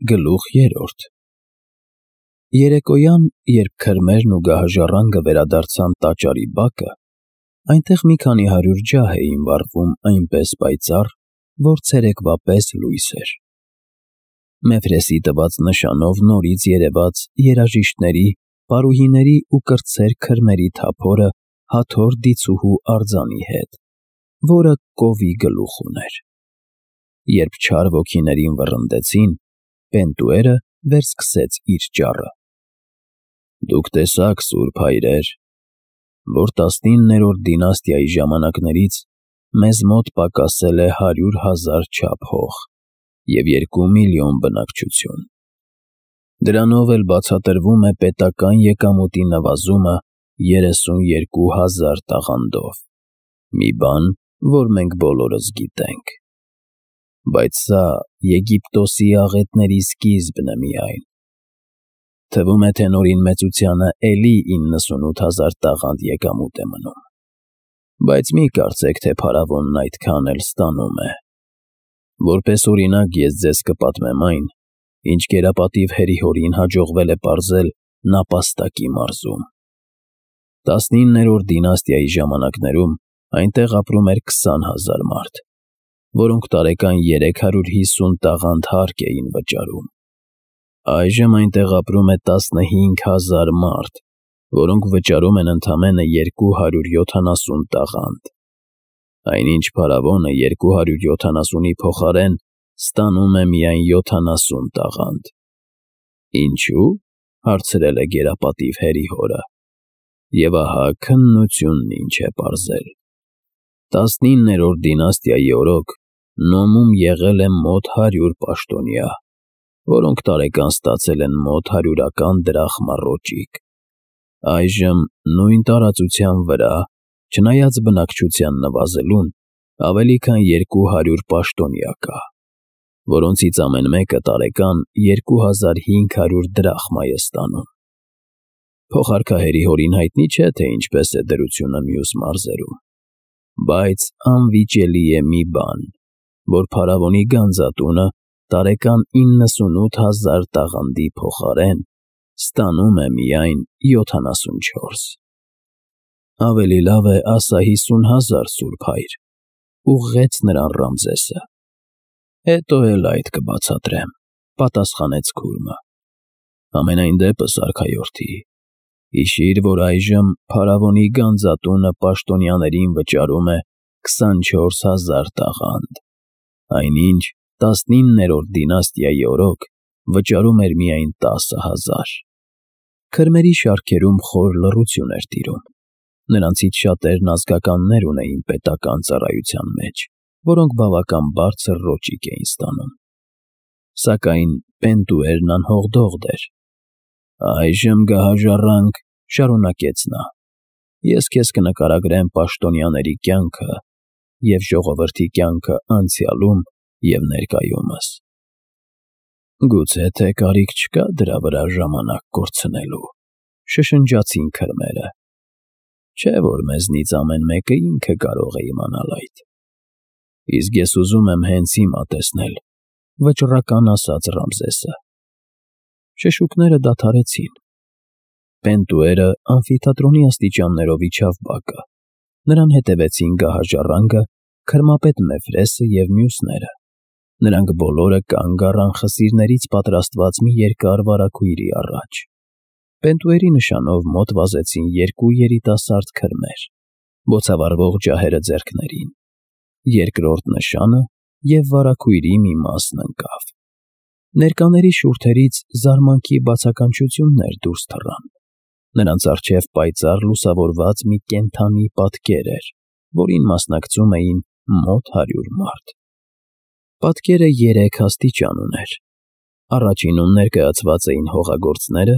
Գլուխ 3 Երեկոյան, երբ քրմերն ու գահաժառանգը վերադարձան տաճարի բակը, այնտեղ մի քանի հարյուր ջահ էին վառվում այնպես պայծառ, որ ցերեկվա պես լույս էր։ Մեֆրեսի տված նշանով նորից երևաց երաժիշտների, պարուհիների ու կրտսեր քրմերի թափորը Հաթոր դիցուհու արձանի հետ, որը կովի գլուխ ուներ։ Երբ չար ոգիներին վռնդեցին, Պենտուերը վերսկսեց իր ճառը. «Դուք տեսաք, սուրբ հայրեր, որ 19-րդ դինաստիայի ժամանակներից մեզ մոտ պակասել է 100,000 չափ հող և 2 միլիոն բնակչություն։ Դրանով էլ բացատրվում է պետական եկամուտի նվազումը 32,000 տաղանդով, մի բան, որ մենք բոլորս գիտենք։ Բայց սա Եգիպտոսի աղետների սկիզբն է միայն։ Թվում է, թե Նորին մեծությանը էլի 98,000 տաղանդ եկամուտ է մնում։ Բայց մի կարծեք, թե փարավոնն այդքան էլ ստանում է։ Որպես օրինակ ես ձեզ կպատմեմ այն, ինչ գերապատիվ Հերիհորին հաջողվել է պարզել Նապաստակի մարզում։ 19-րդ դինաստիայի ժամանակներում այնտեղ ապրում էր 20,000 մարդ, որոնք տարեկան 350 տաղանդ հարկ էին վճարում։ Այժմ այնտեղ ապրում է 15,000 մարդ, որոնք վճարում են ընդամենը 270 տաղանդ։ Այնինչ փարավոնը 270-ի փոխարեն ստանում է միայն 70 տաղանդ։ Ինչու՞, հարցրել է գերապատիվ Հերիհորը։ Եվ ահա քննությունն ինչ է պարզել։ 19-րդ դինաստիայի օրոք Նոմում եղել է մոտ 100 պաշտոնյա, որոնք տարեկան ստացել են մոտ 100-ական դրախմա ռոճիկ։ Այժմ նույն տարածության վրա, չնայած բնակչության նվազելուն, ավելի քան 200 պաշտոնյա կա, որոնցից ամեն մեկը տարեկան 2500 դրախմա է ստանում։ Փոխարքահերի Հորին հայտնի չէ, թե ինչպես է դրությունը մյուս մարզերում, բայց անվիճելի է մի բան, որ փարավոնի գանձատունը տարեկան 98,000 տաղանդի փոխարեն ստանում է միայն 74։ Ավելի լավ է ասա 50,000, սուրբ հայր, ուղղեց նրան Ռամզեսը։ Հետո էլ այդ կբացատրեմ, պատասխանեց քուրմը։ Համենայն դեպս, արքայորդի, հիշիր, որ այժմ փարավոնի գանձատունը պաշտոնյաներին վճարում է 24,000 տաղանդ, այնինչ 19-րդ դինաստիայի օրոք վճարում էր միայն 10,000։ Քրմերի շարքերում խոր լռություն էր տիրում։ Նրանցից շատերն ազգականներ ունեին պետական ծառայության մեջ, որոնք բավական բարձր ռոճիկ էին ստանում։ Սակայն Պենտուերն անհողդողդ էր։ Այժմ գահաժառանգ, շարունակեց նա, ես քեզ կնկարագրեմ պաշտոնյաների կյանքը և ժողովրդի կյանքը անցյալում և ներկայումս։ Գուցե թե կարիք չկա դրա վրա ժամանակ կորցնելու, շշնջացին քրմերը։ Չէ՞ որ մեզնից ամեն մեկը ինքը կարող է իմանալ այդ։ Իսկ ես ուզում եմ հենց հիմա տեսնել, վճռական ասաց Ռամզեսը։ Շշուկները դադարեցին։ Պենտուերը ամֆիթատրոնի աստիճաններով իջավ բակը։ Նրան հետևեցին գահաժառանգը, քրմապետ Մեֆրեսը և մյուսները։ Նրանք բոլորը կանգ առան խսիրներից պատրաստված մի երկար վարագույրի առաջ։ Պենտուերի նշանով մոտ վազեցին 2 երիտասարդ քրմեր, բոցավառվող ջահերը ձեռքներին։ Երկրորդ նշանը և վարագույրի մի մասն ընկավ։ Ներկաների շուրթերից զարմանքի բացականչություններ դուրս թռան։ Նրանց առջև պայծառ լուսավորված մի կենդանի պատկեր էր, որին մասնակցում էին մոտ 100 մարդ։ Պատկերը 3 աստիճան ուներ։ Առաջինում ներկայացված էին հողագործները,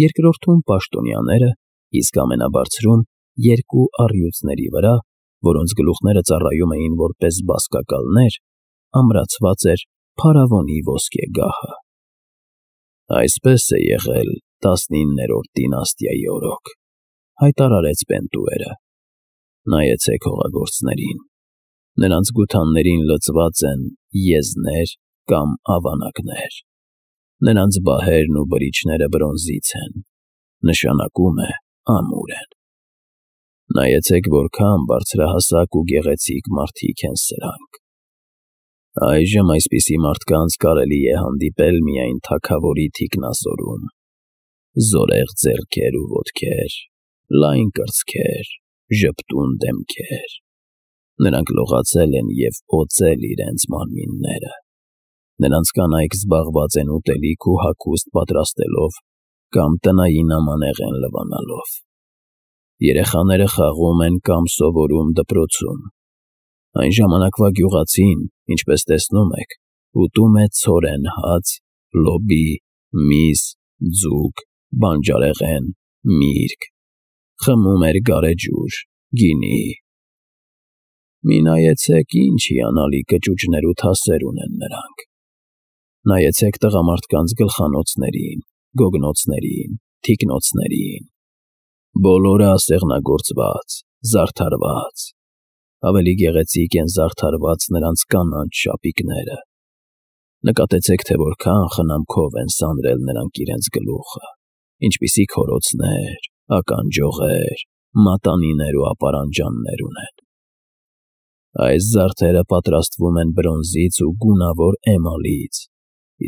երկրորդում պաշտոնյաները, իսկ ամենաբարձրում 2 առյուծների վրա, որոնց գլուխները ծառայում էին որպես բազկակալներ, ամրացված էր փարավոնի ոսկեգահը։ Այսպես է եղել 19-րդ դինաստիայի օրոք, հայտարարեց Պենտուերը։ Նայեցեք հողագործներին։ Նրանց գութաններին լցված են եզներ կամ ավանակներ։ Նրանց բահերն ու բրիչները բրոնզից են, նշանակում է ամուր են։ Նայեցեք, որքան բարձրահասակ ու գեղեցիկ մարդիկ են սրանք։ Այժմ այսպիսի մարդկանց կարելի է հանդիպել միայն թագավորի թիկնազորում։ Զորեղ ձեռքեր ու ոտքեր, լայն կրծքեր, ժպտուն դեմքեր։ Նրանք լողացել են և օծել իրենց մարմինները։ Նրանց կանայք զբաղված են ուտելիք ու հագուստ պատրաստելով կամ տնային ամանեղեն լվանալով։ Երեխաները խաղում են կամ սովորում դպրոցում։ Այն ժամանակվա գյուղացին, ինչպես տեսնում եք, ուտում է ցորեն հաց, լոբի, միս, ձուկ, բանջարեղեն, միրգ, խմում էր գարեջուր, գինի։ Մի նայեցեք, ինչ հիանալի կճուճներ ու թասեր ունեն նրանք։ Նայեցեք տղամարդկանց գլխանոցներին, գոգնոցներին, թիկնոցներին։ Բոլորը ասեղնագործված, զարդարված։ Ավելի գեղեցիկ են զարդարված նրանց կանանց շապիկները։ Նկատեցեք, թե որքան խնամքով են սանրել նրանք իրենց գլուխը, ինչպիսի քորոցներ, ականջողեր, մատանիներ ու ապարանջաններ ունեն։ Այս զարդերը պատրաստվում են բրոնզից ու գունավոր էմալից,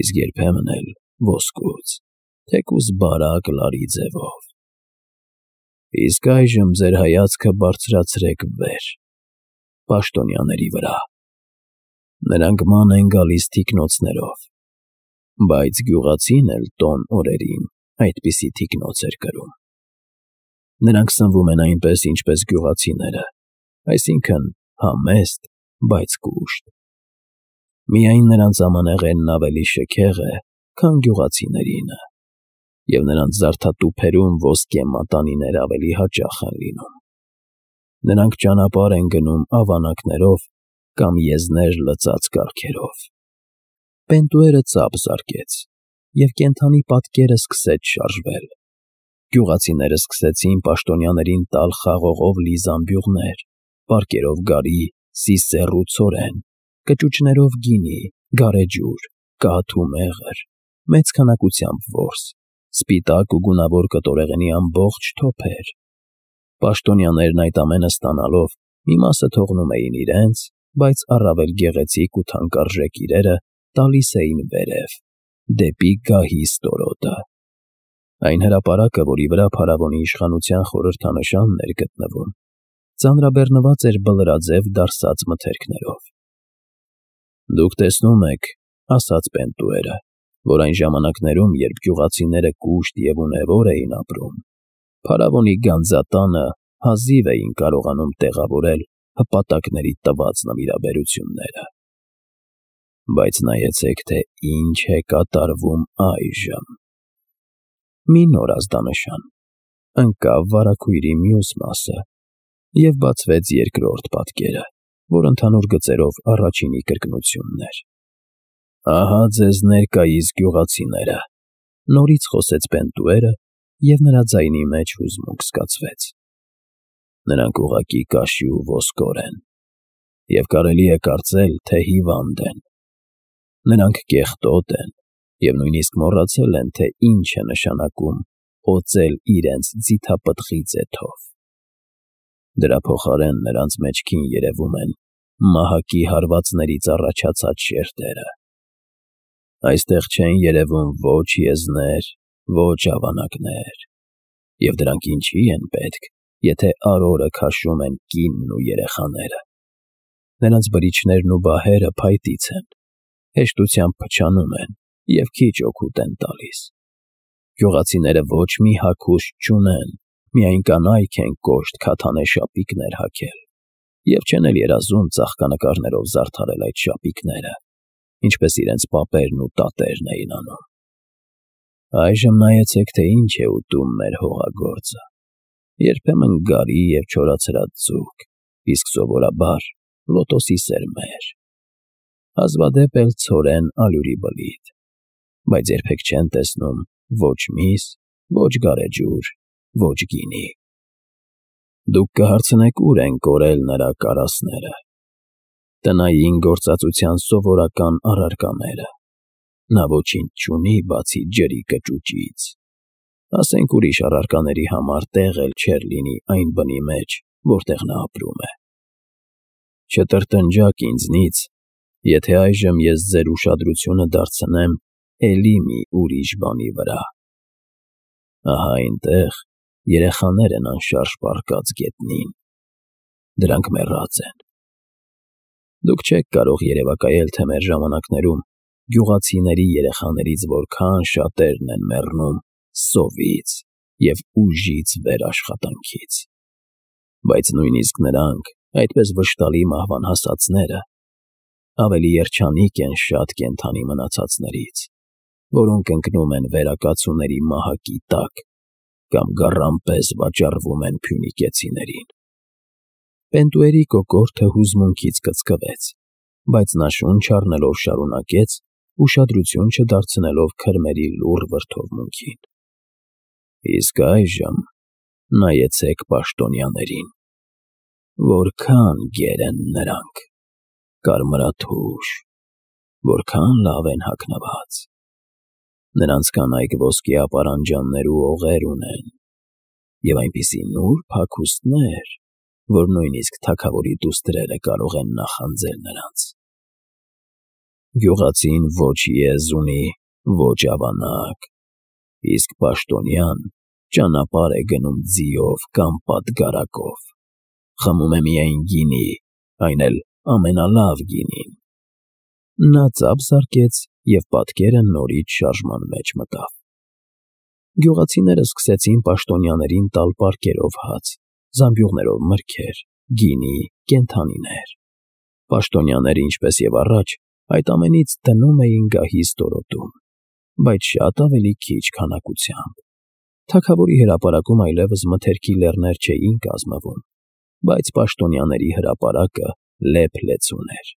իսկ երբեմն էլ ոսկուց, թեկուզ բարակ լարի ձևով։ Իսկ այժմ ձեր հայացքը բարձրացրեք վեր, պաշտոնյաների վրա։ Նրանք ման են գալիս թիկնոցներով, բայց գյուղացին էլ տոն օրերին այդպիսի թիկնոց էր կրում։ Նրանք սնվում են այնպես, ինչպես գյուղացիները, այսինքն համեստ, բայց կուշտ։ Միայն նրանց ամանեղենն ավելի շքեղ է, քան գյուղացիներինը, և նրանց զարդատուփերում ոսկե մատանիներ ավելի հաճախ են լինում։ Նրանք ճանապարհ են գնում ավանակներով կամ եզներ լցած կառքերով։ Պենտուերը ծափ զարկեց, և կենդանի պատկերը սկսեց շարժվել։ Գյուղացիները սկսեցին պաշտոնյաներին տալ խաղողով լի զամբյուղներ, պարկերով գարի, սիսեռ ու ցորեն, կճուճներով գինի, գարեջուր, կաթ ու մեղր, մեծ քանակությամբ որս, սպիտակ ու գունավոր կտորեղենի ամբողջ թոփեր։ Պաշտոնյաներն այդ ամենը ստանալով մի մասը թողնում էին իրենց, բայց առավել գեղեցիկ ու թանկարժեք իրերը տալիս էին վերև, դեպի գահի ստորոտը։ Այն հրապարակը, որի վրա փարավոնի իշխանության խորհրդանշանն էր գտնվում, ծանրաբեռնված էր բլրաձև դարսած մթերքներով։ Դուք տեսնում եք, ասաց Պենտուերը, որ այն ժամանակներում, երբ գյուղացիները կուշտ և ունևոր էին ապրում, փարավոնի գանձատանը հազիվ էին կարողանում տեղավորել հպատակների տված նվիրաբերությունները։ Բայց նայեցեք, թե ինչ է կատարվում այժմ։ Մի նոր ազդանշան։ Ընկավ վարագույրի մյուս մասը, և բացվեց երկրորդ պատկերը, որ ընդհանուր գծերով առաջինի կրկնությունն էր։ Ահա ձեզ ներկայիս գյուղացիները, նորից խոսեց Պենտուերը, և նրա ձայնի մեջ հուզմունք զգացվեց։ Նրանք ուղղակի կաշի ու ոսկոր են, և կարելի է կարծել, թե հիվանդ են։ Նրանք կեղտոտ են և նույնիսկ մոռացել են, թե ինչ է նշանակում օծել իրենց ձիթապտղի ձեթով։ Դրա փոխարեն նրանց մեջքին երևում են մահակի հարվածներից առաջացած շերտերը։ Այստեղ չեն երևում ոչ եզներ, ոչ ավանակներ, և դրանք ինչի են պետք, եթե արորը քաշում են կինն ու երեխաները։ Նրանց բրիչներն ու բահերը փայտից են, հեշտությամբ փչանում են և քիչ օգուտ են տալիս։ Գյուղացիները ոչ մի հագուստ չունեն, միայն կանայք են կոշտ քաթանե շապիկներ հագել, և չեն էլ երազում ծաղկանկարներով զարդարել այդ շապիկները, ինչպես իրենց պապերն ու տատերն էին անում։ Այժմ նայեցեք, թե ինչ է ուտում մեր հողագործը։ Երբեմն գարի և չորացրած ձուկ, իսկ սովորաբար լոտոսի սերմեր, հազվադեպ էլ ցորեն ալյուրի բլիթ, բայց երբեք չեն տեսնում ոչ միս, ոչ գարեջուր, ոչ գինի։ Դուք կհարցնեք, ուր են կորել նրա կարասները, տնային գործածության սովորական առարկաները։ նա ոչինչ չունի բացի ջրի կճուճից։ Ասենք ուրիշ առարկաների համար տեղ էլ չէր լինի այն բնի մեջ, որտեղ նա ապրում է։ Չտրտնջաք ինձնից, եթե այժմ ես ձեր ուշադրությունը դարձնեմ էլի մի ուրիշ բանի վրա։ Ահա այնտեղ երեխաներ են անշարժ պառկած գետնին։ Դրանք մեռած են։ Դուք չեք կարող երևակայել, թե մեր ժամանակներում գյուղացիների երեխաներից որքան շատերն են մեռնում սովից և ուժից վեր աշխատանքից։ Բայց նույնիսկ նրանք, այդպես վշտալի մահվան հասածները, ավելի երջանիկ են շատ կենդանի մնացածներից, որոնք ընկնում են վերակացուների մահակի տակ կամ գառան պես վաճառվում են փյունիկեցիներին։ Պենտուերի կոկորդը հուզմունքից կծկվեց, բայց նա շունչ առնելով շարունակեց, ուշադրություն չդարձնելով քրմերի լուռ վրդովմունքին։ Իսկ այժմ նայեցեք պաշտոնյաներին, որքան գեր են նրանք, կարմրաթուշ, որքան լավ են հագնված։ Նրանց կանայք ոսկե ապարանջաններ ու օղեր ունեն, և այնպիսի նուրբ հագուստներ, որ նույնիսկ թագավորի դուստրերը կարող են նախանձել նրանց։ Գյուղացին ոչ եզ ունի, ոչ ավանակ, իսկ պաշտոնյան ճանապարհ է գնում ձիով կամ պատգարակով, խմում է միայն գինի, այն էլ ամենալավ գինին։ Նա ծափ զարկեց և պատկերը նորից շարժման մեջ մտավ։ Գյուղացիները սկսեցին պաշտոնյաներին տալ պարկերով հաց, զամբյուղներով մրգեր, գինի, կենդանիներ։ Պաշտոնյաները, ինչպես և առաջ, այդ ամենից դնում էին գահի ստորոտում, բայց շատ ավելի քիչ քանակությամբ։ Թագավորի հրապարակում այլևս մթերքի լեռներ չէին կազմվում, բայց պաշտոնյաների հրապարակը լեփ-լեցուն էր։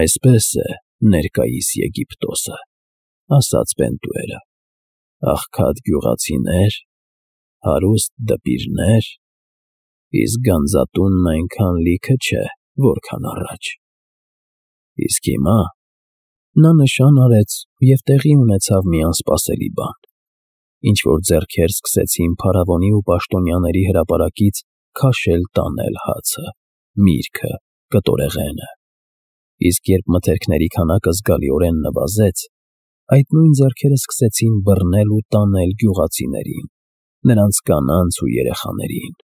Այսպես է ներկայիս Եգիպտոսը, ասաց Պենտուերը, աղքատ գյուղացիներ, հարուստ դպիրներ, իսկ գանձատունն այնքան լիքը չէ, որքան առաջ։ Իսկ հիմա նա նշան արեց, և տեղի ունեցավ մի անսպասելի բան։ Ինչ-որ ձեռքեր սկսեցին փարավոնի ու պաշտոնյաների հրապարակից քաշել-տանել հացը, միրգը, կտորեղենը։ Իսկ երբ մթերքների քանակը զգալիորեն նվազեց, այդ նույն ձեռքերը սկսեցին բռնել ու տանել գյուղացիներին, նրանց կանանց ու երեխաներին։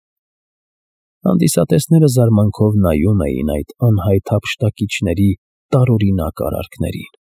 Հանդիսատեսները զարմանքով նայում էին այդ անհայտ հափշտակիչների տարօրինակ արարքներին։